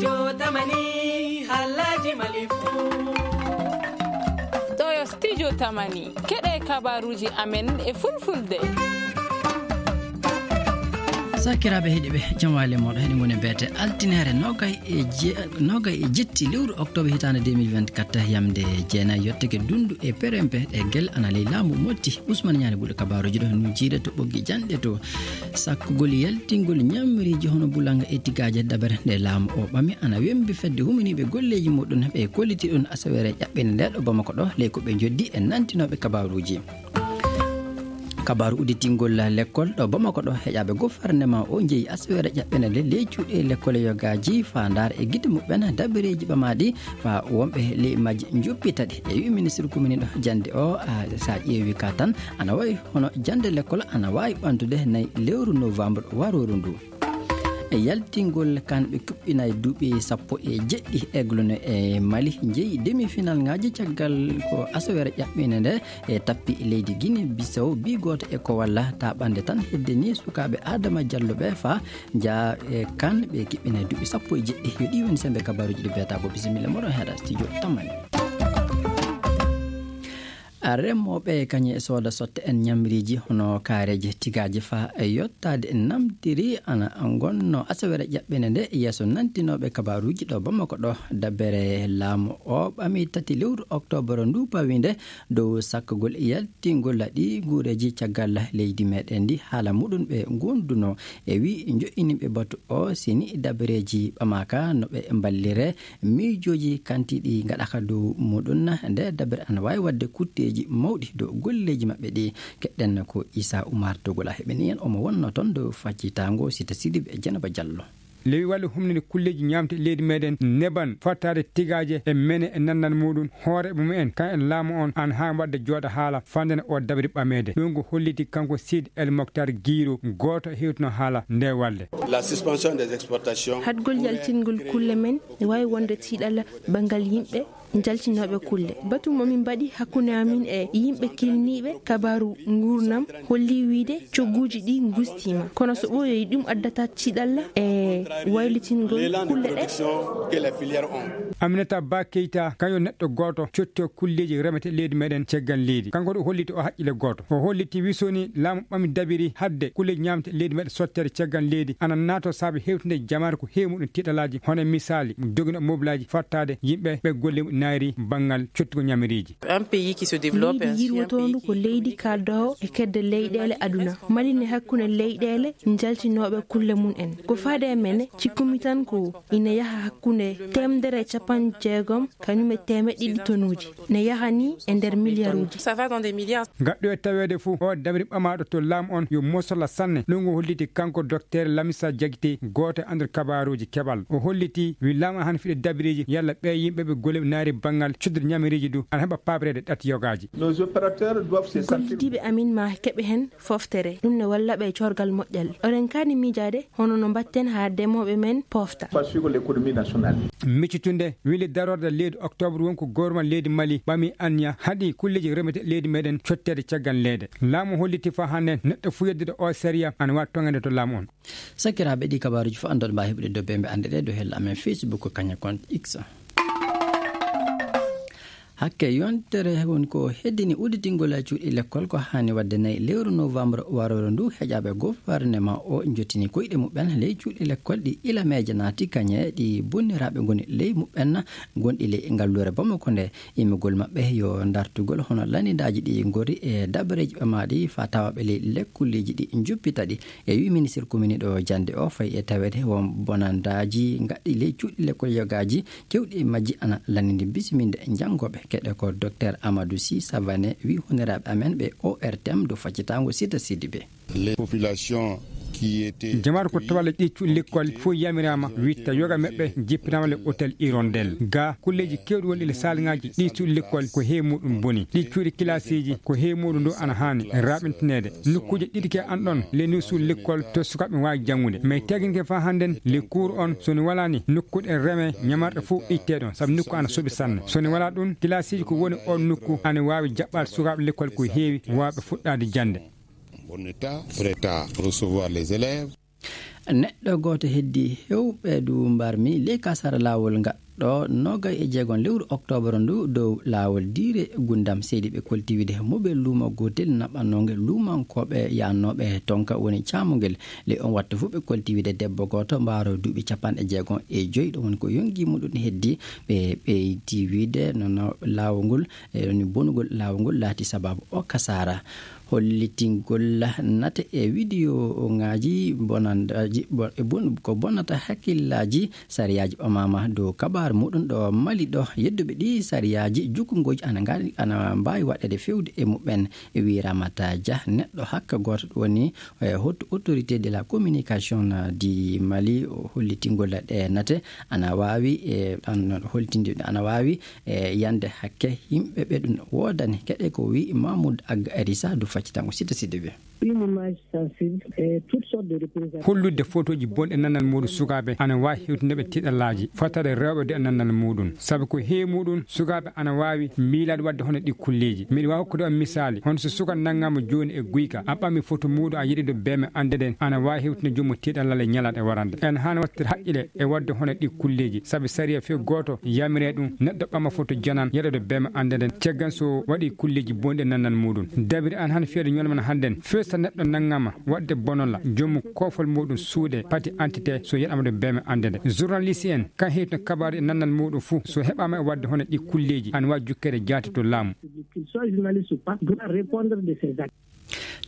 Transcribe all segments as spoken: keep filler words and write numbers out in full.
Studio Tamani, haalaaji Mali fuu. Ɗoo yo Studio Tamani, keɗee kabaaruuji amen e Fulfulde. Sakiraaɓe heɗiiɓe, jam waali e mooɗon. Heɗen ngoni e beete altineere noogay e je-, noogay e jetti lewru oktoobar hitaande deux mille vingt-quatre, yamnde jeenay yottake dundu e perempe e gel ana ley laamu motti. Usman Ñaani buɗe kabaaruuji ɗo no jiida to ɓoggi janɗe to. Sakkugol yaltingol ñamriiji hono bulanga e tigaaje dabere nde laamu o ɓami ana wembi fedde huminiiɓe golleeji muɗum ɓe kolliti ɗum asaweere ƴaɓɓinde nde ɗo Bamako ɗo ley ko ɓe njoddi e nantinooɓe kabaaruuji. Kabaaru udditingol lekkol ɗo Bamako ɗo heƴaaɓe gofarnema o njeyi asaweere ƴaɓɓinde nde ley cuuɗi lekkol yogaaji faa ndaara e gite muɓɓen dabareeji ɓamaaɗi faa wonɓe ley majji njoppita ɗi. E wi'i ministre komini ɗo jannde o, a, so a ƴeewi ka tan ana wayi hono jannde lekkol ana waawi ɓamtude nayi lewru novembre warooru ndu. E yaltingol kan ɓe kuɓɓinay duuɓi sappo e jeɗɗi eglune e Mali njeyi demi-finalŋaaji caggal ko asaweere ƴaɓɓinde nde e tappi leydi Guinée Bissau bi gooto e ko walla ta ɓande tan hedde ni sukaaɓe Adama Diallo ɓe faa njaa e kan ɓe kiɓɓinay duuɓi sappo e jeɗɗi. Yo ɗi woni sembe kabaaruuji ɗi beetaa ko bisimilla moɗon heɗa studio Tamani. Remooɓe kañum e sooda sotte en ñamriiji hono kaareeji tigaaji faa e yottaade namtiri ana ngonno asaweere ƴaɓɓinde nde yeeso nantinooɓe kabaaruuji ɗo Bamako ɗo. Dabere laamu o ɓami tati lewru oktoobar ndu pawii nde dow sakkagol yaltingol ɗi nguureeji caggal leydi meɗen ndi haala muɗum ɓe ngondunoo e wii njoƴƴiniiɓe batu o sini dabareeji ɓamaaka no ɓe mballire miijooji kanti ɗi ngaɗaka dow muɗum. Nde dabere ana waawi waɗde kutteeji mawɗi dow golleeji maɓɓe ɗi. Keɗɗen ko Isa Umar Togola heɓini en, omo wonno toon dow faccitaango Sita Sidibe e Jenaba Jallo. Lewii walle humninde kulleeji ñaamte leydi meɗen neban fattaade tigaaje e mene e nannal muɗum hooreeɓe mumen kan e laamu on an haa waɗde jooɗa haala fandana o dabri ɓameede. Ɗum ko holliti kanko Siid El Moktar Giiro gooto hewtuno haala nde walle. La suspension des exportations. Haɗgol yaltingol kulle men ne waawi wonde tiiɗalla banngal yimɓe njaltinooɓe kulle. Batu mo min mbaɗi hakkunde amin e yimɓe kilniiɓe kabaaru nguurndam holli wiide cogguuji ɗi ngustiima. Kono so ɓooyoyi ɗum addata tiiɗalla e waylitingol kulle ɗe. Aminata Ba Keita, kañum neɗɗo gooto cotto kulleeji remete leydi meɗen caggal leydi. Kanko ɗo holliti o haqqille gooto. O holliti wi so ni laamu ɓami dabiri hadde kulleeji ñaamte leydi meɗen sottere caggal leydi ana naato saabe hewtinde jamaare ko heewi muɗum tiiɗalaaji hono misaali dogino mobilaaji fattaade yimɓe ɓe golle muɗum naayri banngal cottugol ñamiriiji. Un pays qui se développe. Leydi ainsi, un yirwotoondu pays ko qui leydi kaaddoowo e kedde leyɗeele aduna. Mali ne hakkunde leyɗeele njaltinooɓe kulle mum en. Ko faade e men, cikkumi tan ko ina yaha hakkunde teemedere e capanɗe jeegom kañum e teemeɗɗe ɗiɗi tonuuji. Ne yaha ni e nder miliyaruuji. Ça va dans des milliards. Ngaɗɗo e taweede fof o dabri ɓamaaɗo to laamu on yo mosola sanne. Ɗum o holliti kanko Dokteer Lamisa Jagite, gooto e annduɗo kabaaruuji keɓal. O holliti wi laamu an hano fiɗa dabiriiji yalla ɓee yimɓe ɓe golle naari banngal cuddude ñamiriiji du ana heɓa paaboreede ɗatti yogaaji. Nos opérateurs doivent se sentir. Gollidiiɓe amin maa keɓe heen fooftere. Ɗum ne walla ɓe e coorgal moƴƴal. Oɗen kaani miijaade hono no mbaɗten haa demooɓe men poofta. Pas suivre l'économie nationale. Miccitunde wili darorde leydi oktoobar won ko gouvernement leydi Mali ɓami anniya haɗi kulleeji remete leydi meɗen cotteede caggal leyde. Laamu holliti faa hannde neɗɗo fuu yeddude oo sariya ana waawi toŋeede to laamu on. Sakiraaɓe, ɗii kabaaruuji fof annduɗon mbaawi heɓude dow bembe annde ɗee dow hella amen Facebook, kañum e compte X. Hakke yontere woni ko heddini udditingol cuuɗi lekkol ko haani waɗde nayi lewru novembre warooru ndu. Heƴaaɓe gofarnema o njottini koyɗe muɓɓen ley cuuɗi lekkol ɗi ilameeje naati kañe ɗi bonniraaɓe ngoni ley muɓɓen gonɗi ley ngalluure Bamako nde. Immugol maɓɓe yo dartugol hono lanndindaaji ɗi ngori e dabareeji ɓamaaɗi faa tawaaɓe ley lekkolleeji ɗi njuppita ɗi. E wii ministir komini ɗo jannde o fayi e taweede won bonandaaji ngaɗɗi ley cuuɗi lekkol yogaaji, keewɗi e majji ana lanndini bisiminde janngooɓe. Keɗe ko Dokteer Amadou Sy Savané wii honiraaɓe amen ɓe O R T M dow faccitaango Sita Sidibé. Les populations qui étaient. Jamaatu ko tawaa ley ɗii cuuɗi lekkol fof yamiraama witta yoga maɓɓe jippinaama le hôtel Hirondelle. Ga kulleeji keewɗi wonɗi le saalŋaaji ɗii cuuɗi lekkol ko heewi muɗum boni. Ɗii cuuɗi kilaasiiji ko heewi muɗum ndu ana haani raaɓintineede. Nokkuuje ɗiɗi ke an ɗon le ni suuɗi lekkol to sukaaɓe waawi janngude. Mais teeginke faa hannden le cours on so ni walaa ni nokkuɗe reme ñamarɗe fof ittee ɗon sabu nokku ana soɓi sanne. So ni walaa ɗum kilaasiiji ko woni on nokku ana waawi jaɓɓaade sukaaɓe lekkol ko heewi waawɓe fuɗɗaade jannde. Bon état, prêt à recevoir les élèves. Neɗɗo gooto heddii hewɓe du mbarmi ley kasara laawol ngaɗɗo noogay e jeegom lewru oktoobar ndu dow laawol diire gundam seydi ɓe kolti wiide mobel luuma gootel naɓɓannoongel luumankooɓe yaannooɓe tonka woni caamungel. Ley on wattu fof ɓe kolti wiide debbo gooto mbaaro duuɓi capanɗe jeegom e joyi ɗo woni ko yongi muɗum heddii ɓe ɓeydii wiide nono laawol ngol e woni bonugol laawol ngol laati sababu o kasara. Hollitingol nate e widiyo ŋaaji bonandaaji ko bonnata hakkillaaji sariyaaji ɓamaama dow kabaaru muɗum ɗo mali ɗo yedduɓe ɗi sariyaaji jukkungooji ana mbaawi waɗeede fewde e muɓɓen. Wiiramata jah neɗɗo hakka gooto woni hottu autorité de la communication di mali hollitingol ɗe nate ana waawi hollitinde ana waawi e yande hakke yimɓe ɓe ɗum woodani keɗe ko wi mamoud agga arisa du faccitango sita sidi wi. Holludde fotooji bonɗi nannal muuɗum sukaaɓe ana waawi hewtinde ɓe tiiɗallaaji fottere rewɓe de nannal muuɗum sabu ko heewi muuɗum sukaaɓe ana waawi miilaade waɗde hono ɗi kulleeji miɗo waawi hokkude on misaali hono so suka nanngaama jooni e guyka a ɓami foto muuɗum a yiɗi ɗo beeme annde nden ana waawi hewtinde joomum tiiɗallal e ñalaade e warande en haana waɗtide haqqile e waɗde hono ɗi kulleeji sabu sariya few gooto yamire ɗum neɗɗo ɓama foto janan yeɗoɗo beema annde nden caggan so waɗi kulleeji bonɗi nannal muuɗum dabiri an han fiyade ñolmana hannden few so neɗɗo nanngama waɗde bonola joomum koofol muuɗum suuɗe pati antite so yeɗama ɗo beema annde nde journaliste en kan heytino kabaru e nannal muuɗum fuu so heɓama e waɗde hono ɗi kulleeji an waawi jukkeede jaati to laamu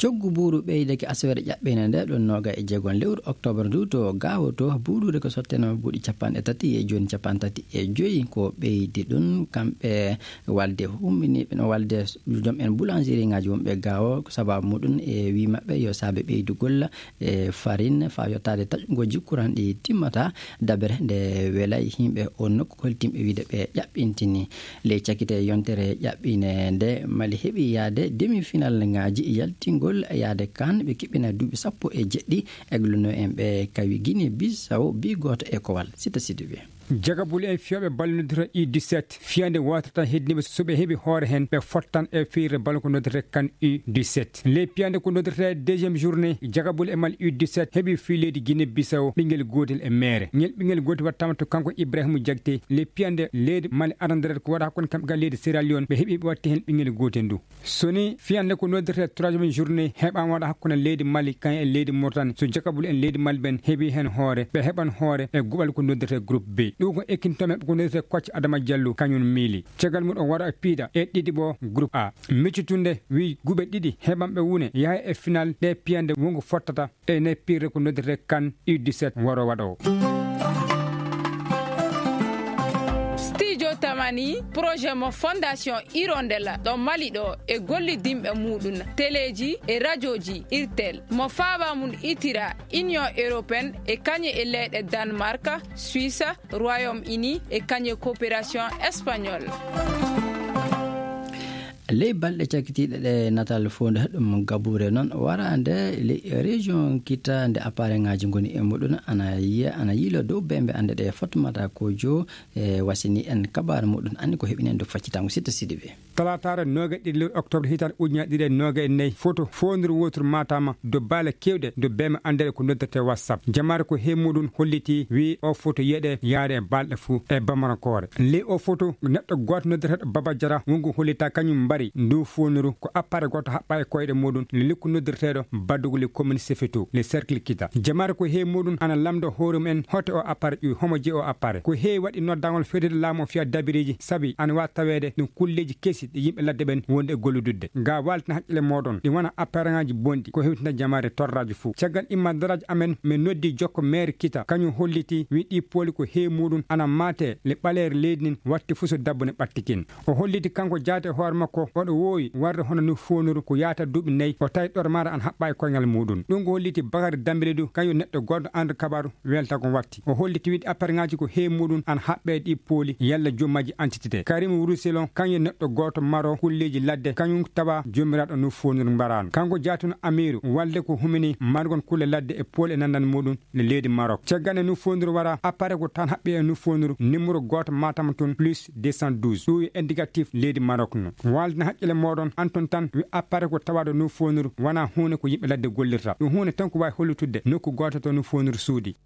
coggu buuru ɓeydake asawere ƴaɓɓeende nde ɗon nooga e jeegon lewru oktoobar ndu to gaawo to buuruure ko sotteeno buuɗi capanɗe tati e jooni capanɗe tati e joyi ko ɓeydi ɗum kamɓe walde humminiiɓe no walde joom en boulangerie ŋaaji wonɓe gaawo ko sababu muɗum e wii maɓɓe yo saabe ɓeydugol e farine faa yottaade taƴugol jikkuran ɗi timmata dabere nde welay yimɓe on nokku holtimɓe wiide ɓe ƴaɓɓintini ley cakite yontere ƴaɓɓine nde mali heɓi yaade demi-finalŋaaji yaltingol yaade kan ɓe kiɓɓina duuɓi sappo e jeɗɗi egluno en ɓe kawi guinée bissau bi gooto e kowal sita sidibe jagabule en fiyooɓe balle noddirta u dix-sept fiyande watirta heddiniɓe so ɓe heɓi hoore heen ɓe fottan e fiyirde balle ko noddirte kan u dix-sept ley piyande ko noddirte deuxiéme journée jagabule e mal u dix-sept heɓi fii leydi guinée bissau ɓinngel gootel e meere ngel ɓinngel gootel wattama to kanko ibrahima jagte ley piyande leydi mali arandaret ko waɗa hakkunde kamɓe gal leydi sierra leone ɓe heɓi ɓe watti heen ɓinngel gootel ndu so ni fiyande ko noddirte troisiéme journée heɓama waɗa hakkunde leydi mali kañum e leydi mauritanie so jakabul en leydi mali ɓen heɓi heen hoore ɓe heɓan hoore e guɓal ko noddirte groupe b ɗum ko ekkintomen ko noddirte kocce adama diallo kañum miili caggal mum o waɗa e piiɗa e ɗiɗi ɓo groupe a miccitunde wi guɓe ɗiɗi heɓanɓe wune yaha e final ɗe piyande wongo fottata e nder pirre ko noddirte kan u dix-sept waro waɗo. Studio tamani projet mo fondation hirondella ɗo mali ɗo e gollidinɓe muɗum teleeji e radioji irtel mo faaba mum itira union européenne e kañe e leyɗe danemark suisse royaume uni e kañe coopération espagnol. Ley balɗe cakitiiɗe ɗe natal foondu heɗum gabuure noon waraande ley région kita nde appareŋaaji ngoni e muɗum ana yiya ana yiilo dow bembe annde ɗe fotmata kojo e wasini en kabaare muɗum anndi ko heɓini en dow faccitango sitta siɗi ɓe. Talaataare nooga ɗiɗi lewru octobre hitaande ujunaaji ɗiɗi e nooga e nayi foto foondur wootur maataama dow baale keewɗe dow beeme anndeeɗe ko noddirtee whatsapp jamaare ko hee muɗum hollitii wii oo foto yeɗe yaade e balɗe fuu e bamarankoore ley oo foto neɗɗo gooto noddirteeɗo baba jara wongu hollitaa kañum mbari nduu foonuru ko appare gooto haɓɓaa e koyɗe muɗum le likku noddirteeɗo baddugol e commune sefeto le cercle kita jamaare ko hee muɗum ana lamndo hoore mum en hoto oo appare ƴuwi homo jeyi oo appare ko heewi waɗi noddagol feewde laamu o fiya dabireeji sabi ana waawi taweede ɗum kulleeji kesi ɗi yimɓe ladde ɓen wonde e gollududde ga waaltina haqqille mooɗon ɗi wona appareŋaaji bonɗi ko hewtinta jamaare torraaji fuu caggal immadaraaji amen min noddi jokko meere kita kañum hollitii wi ɗi pooli ko heewi muɗum ana maate le ɓaleere leydi ndin watti fuu so dabbo ne ɓattikin o holliti kanko jaati e hoore makko oɗo woowi warde hono no foonuru ko yaata duuɓi nayi o tawi ɗormaare an haɓɓa e koyngal muɗum ɗum ko holliti bakari dambele du kañum neɗɗo goɗɗo andu kabaru welta ko watti o holliti wiide apparŋaaji ko heewi muɗum ana haɓɓee ɗi pooli yalla joom majji antitite karim ruselon kañum neɗɗo gooto maro kulleeji ladde kañum tawa joomiraaɗo no foonir mbaraano kanko jaatino amiiru walde ko humini margol kulle ladde e pooli e nanndal muɗum no leydi marok caggal e no foonir wara appare ko tan haɓɓi e no foonir numéro gooto matama tun plus deux cent douze ɗum yo indicatif leydi marok no walde haqqille mooɗon anton tan wi appareil ko tawaaɗo no foonuru wanaa huunde ko yimɓe ladde gollirta, ɗum huunde tan ko waawi hollitudde nokku gooto to no foonuru suudi.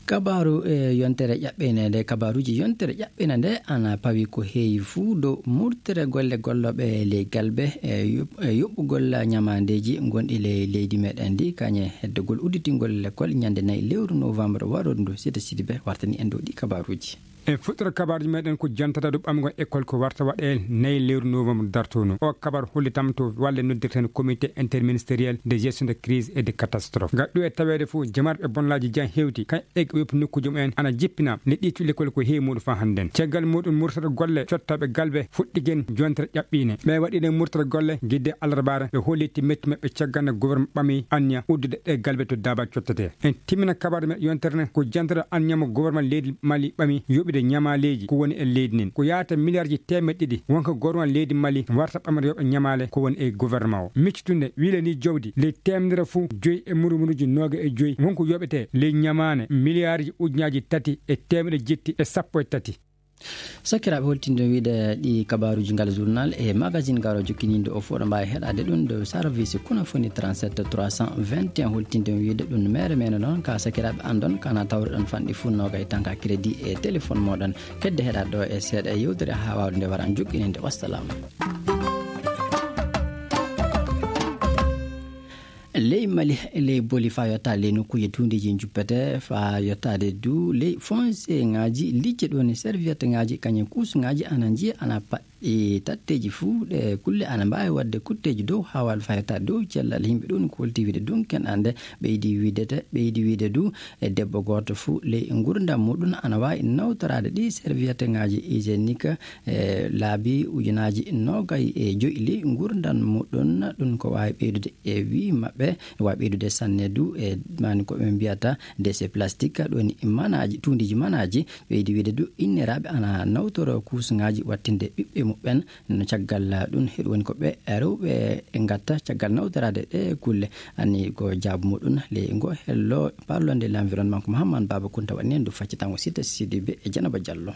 Kabaaru e yontere ƴaɓɓeende nde, kabaaruuji yontere ƴaɓɓeende nde ana pawi ko heewi fuu dow murtere golle gollooɓe ley galbe e yoɓ-, e yoɓɓugol ñamaandeeji gonɗi ley leydi meɗen ndi, kañe heddegol udditingol lekkol ñande nayi lewru novembre warooru ndu. Sita Sidibe wartani en dow ɗi kabaaruuji. En fuɗɗoto kabaaruuji meɗen ko jantataa dow ɓamgol ekkol ko warta waɗee nayi lewru novembre dartoo ndu. O kabar hollitam to walle noddirten comité interministériel de gestion de crise et de catastrophe. Ngal ɗo e taweede fof jamarɓe bonlaaji jan hewti, kañ e ɓe yoppi nokkuuji mumen ana jippina nde ɗi cuɗi lekkol ko heewi muɗum faa hannden. Caggal muɗum murtata golle cottaaɓe galbe fuɗɗigen jontere ƴaɓɓiine. Ɓe waɗiɗen murtata golle gidde alarbaare, ɓe holliti metti maɓɓe caggal nde gouvernement ɓami anniya uddude ɗe galbe to daaba cottete. En timmina kabaaru men yontere nden ko jantere anniya mo gouvernement leydi Mali ɓami yoɓude ñamaaleeji ko woni e leydi ndin. Ko yaata miliyaarji teemeɗɗe ɗiɗi wonko gouvernement leydi Mali warta ɓamre yoɓa ñamaale ko woni e gouvernement o. Miccitunde wiile ni jawdi ley teemedere fuu joyi e murumuruji nooga e joyi wonko yoɓete ley ñamaane miliyaarji ujunaaji tati e teemeɗe jetti e sappo e tati. Sakiraaɓe, holtinde wiide ɗi kabaaruuji ngal journal e magazine garo jokkininde o fof ɗo mbaawi heɗaade ɗum ɗo service Kunafoni trente-sept trois cent vingt et un, holtinde wiide ɗum mere mene noon ka sakiraaɓe andon kana tawreɗon fanɗi fuu nooga e tanka crédit e téléphone moɗon. Kedde heɗaade ɗo e seeɗa e yewtere haa waawde nde wara jokkinde. Wassalam. Ley Mali, ley Boli faa yotta ley nokkuuje tuundiiji njuppete, faa yottaade duu ley fonseŋaaji, licce ɗoon e servietteŋaaji, kañum kuusuŋaaji ana njiya, ana paɗɗi tatteeji fuu. Ɗe kulle ana mbaawi waɗde kutteeji dow haawal faa yottaade dow cellal yimɓe ɗoon, ko holti wiide dunken ande ɓeydi wiidete, ɓeydi wiide duu e debbo gooto fuu ley ngurndam muɗum ana waawi nawtoraade ɗi servietteŋaaji hygiénique e laabi ujunaaji noogay e joyi ley ngurndam muɗum. Ɗum ko waawi ɓeydude e wii maɓɓe, waawi ɓeydude sanne duu e maani ko ɓe mbiyata déchets plastiques, ɗoon e manaaji, tuundiiji manaaji. Ɓeydi wiide duu inniraaɓe ana nawtoro kuusuŋaaji wattinde ɓiɓɓe muɓɓen. No caggal ɗum, heɗo woni ko ɓe rewɓe ngatta caggal nawtoraade ɗe kulle. Ani ko jaabu muɗum ley ngo hello parlonde l'environnement ko Mahamman Baaba Kunta waɗi en ndu faccitango Sita Sidibe e Janaba Jallo.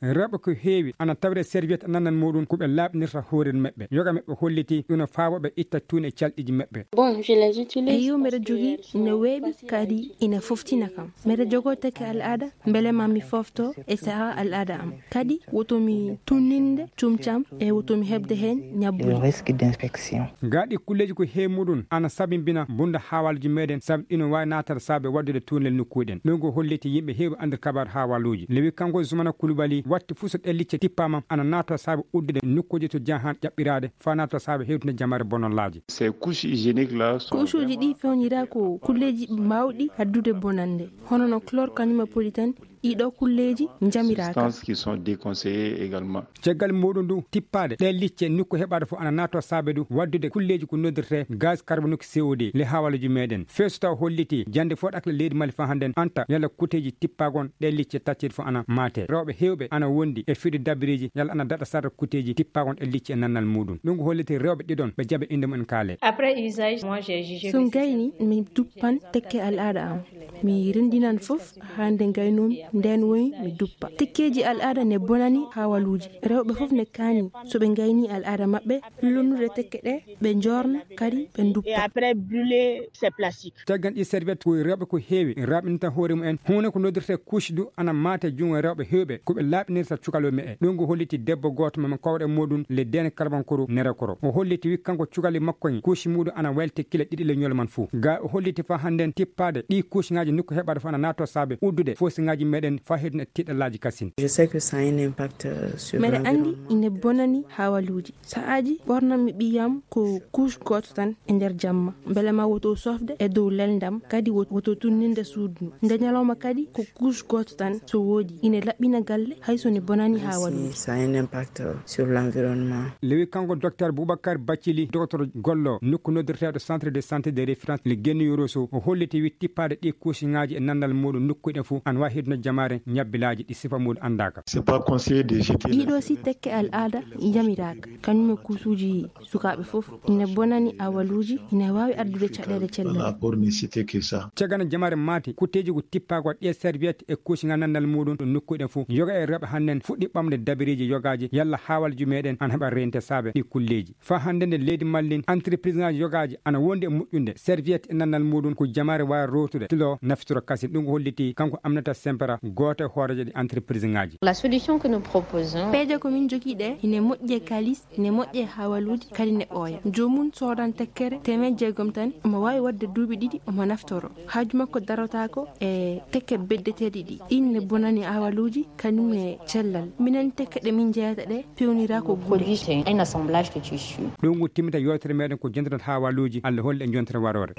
Rewɓe ko heewi ana tawre serviette nannal muɗum ko ɓe laaɓnirta hoore maɓɓe. Yoga maɓɓe holliti ɗum no faawa ɓe itta tuuni e calɗiiji maɓɓe. Bon, je les utilise. Eyo, mbeɗa jogii, ina weeɓi kadi ina foftina kam. Mbeɗa jogoo tekke al'aada mbele ma mi foofto e sahaa al'aada am. Kadi woto mi tunninde cuumcam e woto mi heɓde heen ñabbuuli. Risque d'infection. Gaa ɗi kulleeji ko heewi muɗum ana sabimbina bunda haawaaluuji meɗen, sabi ɗino waawi naatata saabe waɗdude tuurnel nokkuuji ɗen. Ɗum ko holliti yimɓe heewi anndude kabaaru haawaaluuji. Lewi kanko Zumana Kulubali watti fuu so ɗee licce tippaama ana naatoo saabe uddude nokkuuji to jahan ƴaɓɓiraade faa naatoo saabe hewtinde jamare bonallaaji. Ces couches hygiéniques là sont. Kuusuuji ɗi fewnira ko kulleeji mawɗi addude bonannde, hono no chlore kañum e poli tan. Ɗiɗo kulleeji njamiraaka. Substances qui sont déconseillées également. Caggal muɗum du, tippaade ɗee licce nokku heɓaade fof ana naatoo saabe du waɗdude kulleeji ko noddirtee gaz carbonique C O deux ley haawaaluuji meɗen. Feesu taw holliti jannde fof ɗakle leydi Mali faa hannden anta yalla kuteeji tippaagon ɗee licce tacceeɗi fof ana maatee. Rewɓe heewɓe ana wondi e fiɗi dabireeji yalla ana daɗa sarde kuteeji tippaagon ɗee licce e nannal muɗum. Ɗum ko holliti rewɓe ɗiɗon ɓe jaɓe innde mumen kaale. Après usage, moi, j'ai jugé. So gayni mi duppan tekke al'aada am. Mi renndinan fof haa nde ngaynoomi, ndeen woni mi duppa. Tekkeeji al'aada ne bonani haawaaluuji. Rewɓe fof ne kaani, so ɓe ngaynii al'aada maɓɓe, lonnude tekke ɗe, ɓe njoorna, kadi ɓe nduppa. Et après brûler ces plastiques. Caggal ɗii serviette ko rewɓe ko heewi raaɓinta hoore mumen. Huunde ko noddirtee couche du ana maate junngo rewɓe heewɓe, ko ɓe laaɓinirta cukalel mumen. Ɗum ko holliti debbo gooto mo min kowɗe muɗum le Dene Karbankoro Nerekoro. O holliti wi kanko cukalel makko en, couche muɗum ana wayliti kile ɗiɗi le ñoole man fof. Gaa o holliti faa hannden tippaade ɗii coucheŋaaji nokku heɓaade fof ana naatoo saabe uddude foosiŋaaji meɗen faa heddina tiiɗallaaji kasin. Je sais que ça a un impact, euh, sur l'environnement. Mbeɗa anndi ina bonani haawaaluuji. Sahaaji ɓoornan-mi ɓiyam ko couche gooto tan e nder jamma, mbele ma woto sofde e dow lelndam, kadi wot-, woto tunninde suudu ndu. Nde ñalawma kadi ko couche gooto tan so woodi, ina laɓɓina galle hay so ne bonani haawaaluuji. Ça a un impact sur l'environnement. Lewi kanko docteur Boubacar Bathily, docteur gollo nokku noddirteeɗo centre de santé de référence le Guéniorosso, o holliti wi tippaade ɗii couche Ŋaaji e nanndal muuɗum nokkuuji ɗen fof ana waawi heddunde jamaare ñabbilaaji ɗi sifa muuɗum anndaaka. Ɗiɗo si tekke al'aada yamiraaka, kañum e kuusuuji sukaaɓe fof, ina bonani awaluuji, ina waawi addude caɗeele cellal. Cagana jamaare maati kutteeji ko tippaaka ɗi e serviette e kuusiŋa nanndal muuɗum ɗo nokkuuji ɗen fof. Yoga e rewɓe hannden fuɗɗi ɓamde dabareeji yogaaji yalla haawalji meɗen ana heɓa reente saabe ɗi kulleeji. Faa hannde nde leydi Mali ndin, entreprise ŋaaji yogaaji ana wondi e moƴƴunde serviette e nanndal muuɗum ko jamaare waawi rootude tiloo naftoro kasin. Ɗum ko hollitii kanko Aminata Sempera, gooto e hooreejo ɗi entreprise ŋaaji. Peeje ko min njogii ɗee ine moƴƴi e kaalis, ine moƴƴi e hawaluuji, kadi ne ɓooya. Joomum soodan tekkere teemeɗɗe jeegom tan, omo waawi waɗde duuɓi ɗiɗi omo naftoro. Haaju makko darotaako e tekke beddeteeɗi ɗi. Ɗin ne bonani hawaluuji, kañum e cellal. Minen tekke ɗe min njeyata ɗe, peewniraaka ko gude. Ɗum ko timmita yewtere meɗen ko jontirta hawaluuji. Alla hollu en jontere waroore.